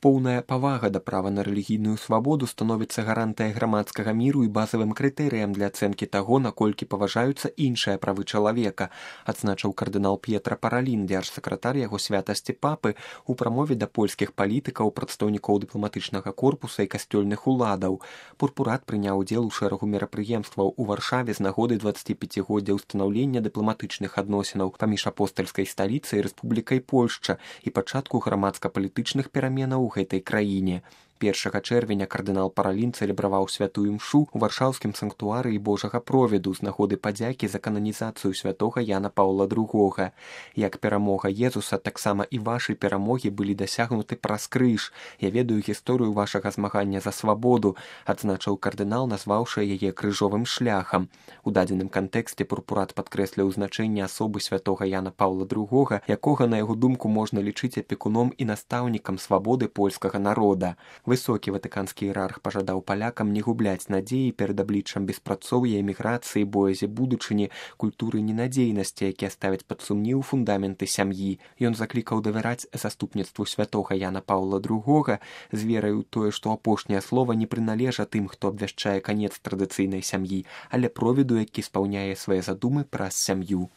Поўная павага да права на рэлігійную свабоду становіцца гарантыя грамадскага міру і базавым крытэрыям для ацэнкі таго, наколькі паважаюцца іншыя правы чалавека, адзначыў кардынал П'етра Паралін, дзяржсакратар яго святасці папы, у прамове да польскіх палітыкаў, прадстаўнікоў дыпламатычнага корпуса і касцёльных уладаў. Пурпурат прыняў удзел у шэрагу мерапрыемстваў у Варшаве з нагоды 25годдзя ўстанаўлення дыпламатычных адносінаў паміж апостальскай сталіцай і Рэспублікай Польшча і пачатку грамадска-палітычных пераменаў у гэтай краіне. 1 чэрвеня кардынал Паралін цэлебраваў святую імшу ў варшаўскім санктуарыі Божага провіду з нагоды падзякі за кананізацыю святога Яна Паўла II. Як перамога Езуса, таксама і вашы перамогі былі дасягнуты праз крыж. Я ведаю гісторыю вашага змагання за свабоду, адзначыў кардынал, назваўшы яе крыжовым шляхам. У дадзеным кантэксце пурпурат падкрэсліў значэнне асобы святога Яна Паўла II, якога, на яго думку, можна лічыць апекуном і настаўнікам свабоды польскага народа. Высокі ватыканскі іерарх пажадаў палякам не губляць надзеі перад абліччам беспрацоўя, эміграцыі, боязі будучыні, культуры ненадзейнасці, якія ставяць пад сумнеў фундаменты сям'і. Ён заклікаў давяраць заступніцтву святога Яна Паўла II з верай у тое, што апошняе слова не прыналежа тым, хто абвяшчае канец традыцыйнай сям'і, але провіду, які спаўняе свае задумы праз сям'ю.